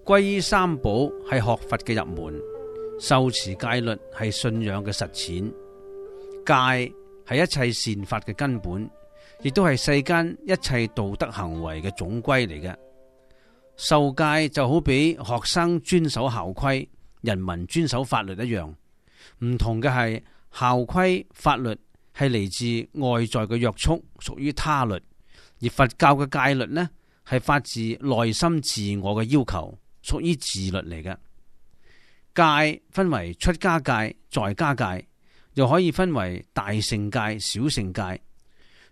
皈依三寶係學佛嘅入門，受持戒律係信仰嘅實踐，戒係一切善法嘅根本，亦都係世間一切道德行為嘅總歸嚟嘅。受戒就好比學生遵守校規，人民遵守法律一樣，唔同嘅係校規法律係嚟自外在嘅約束，屬於他律；而佛教嘅戒律呢，係發自內心自我嘅要求，屬於自律嚟嘅。戒分為出家戒、在家戒，又可以分為大乘戒、小乘戒。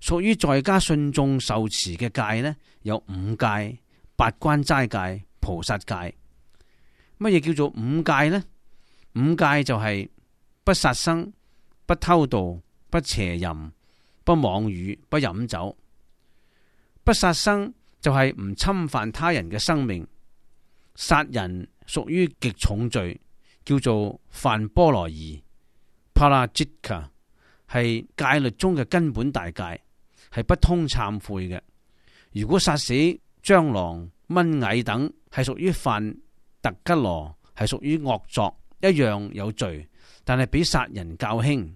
屬於在家信眾受持嘅戒呢，有五戒、八關齋戒、菩薩戒。乜嘢叫做五戒呢？五戒就係不殺生、不偷盜、不邪淫、不妄語、不飲酒。不殺生就係唔侵犯他人嘅生命，殺人屬於極重罪，叫做犯波羅夷 （Parajika）， 係戒律中嘅根本大戒，係不通懺悔嘅。如果殺死蟑螂、蚊蟻等，係屬於犯特吉羅，係屬於惡作，一樣有罪，但係比殺人較輕。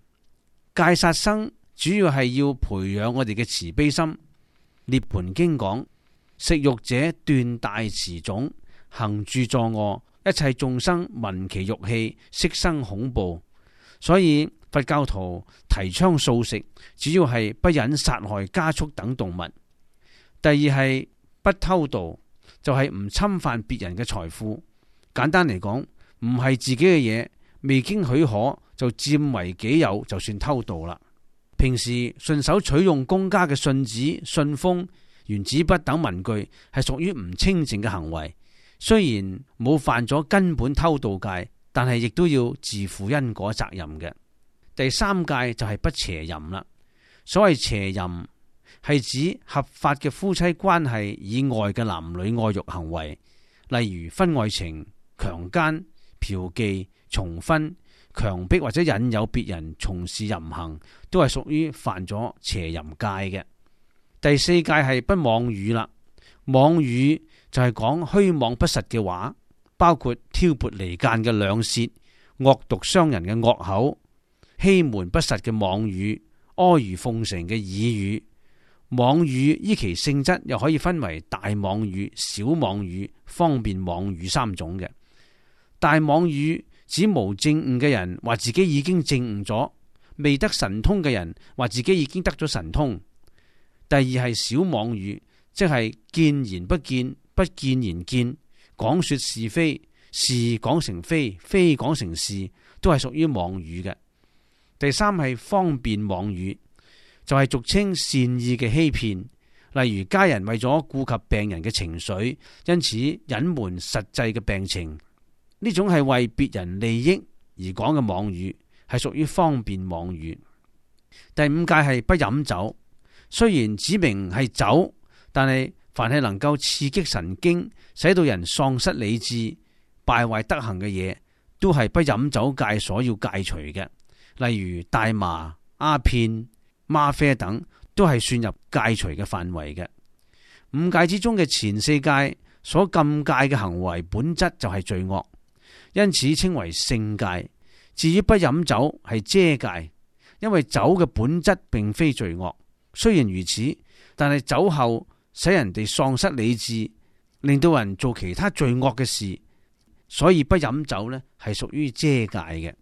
戒殺生主要係要培養我哋嘅慈悲心。涅槃經講：食肉者斷大慈種，行住作惡，一切眾生聞其肉氣，悉生恐怖。所以佛教徒提倡素食，主要係不忍殺害家畜等動物。第二係不偷盜，就係唔侵犯別人嘅財富。簡單嚟講，唔係自己嘅嘢，未經許可就佔為己有，就算偷盜啦。平時順手取用公家嘅信紙、信封、原子筆等文具，係屬於唔清淨嘅行為。雖然冇犯咗根本偷盜戒，但係亦都要自負因果責任嘅。第三戒就係不邪淫啦。所謂邪淫，係指合法嘅夫妻關係以外嘅男女愛欲行為，例如婚外情、強姦、嫖妓、重婚、強迫或者引誘別人從事淫行，都係屬於犯咗邪淫戒嘅。第四戒係不妄語啦。妄語就係講虛妄不實嘅話，包括挑撥離間嘅兩舌、惡毒傷人嘅惡口、欺瞞不實嘅妄語、阿諛奉承嘅綺語。妄語依其性質又可以分為大妄語、小妄語、方便妄語三種嘅。大妄語指無證悟嘅人話自己已經證悟咗，未得神通嘅人話自己已經得咗神通。第二係小妄語，即係見言不見，不見言見，講說是非，是講成非，非講成是，都係屬於妄語嘅。第三係方便妄語，就係俗稱善意嘅欺騙，例如家人為咗顧及病人嘅情緒，因此隱瞞實際嘅病情，呢種係為別人利益而講嘅妄語，係屬於方便妄語。第五戒係不飲酒，雖然指明係酒，但係凡係能夠刺激神經，使到人喪失理智、敗壞德行嘅嘢，都係不飲酒戒所要戒除嘅。例如大麻、鴉片、嗎啡等，都係算入戒除嘅範圍嘅。五戒之中嘅前四戒所禁戒嘅行為本質就係罪惡，因此稱為性戒。至於不飲酒係遮戒，因為酒嘅本質並非罪惡。雖然如此，但係酒後使人哋喪失理智，令到人做其他罪惡嘅事，所以不飲酒呢係屬於遮戒嘅。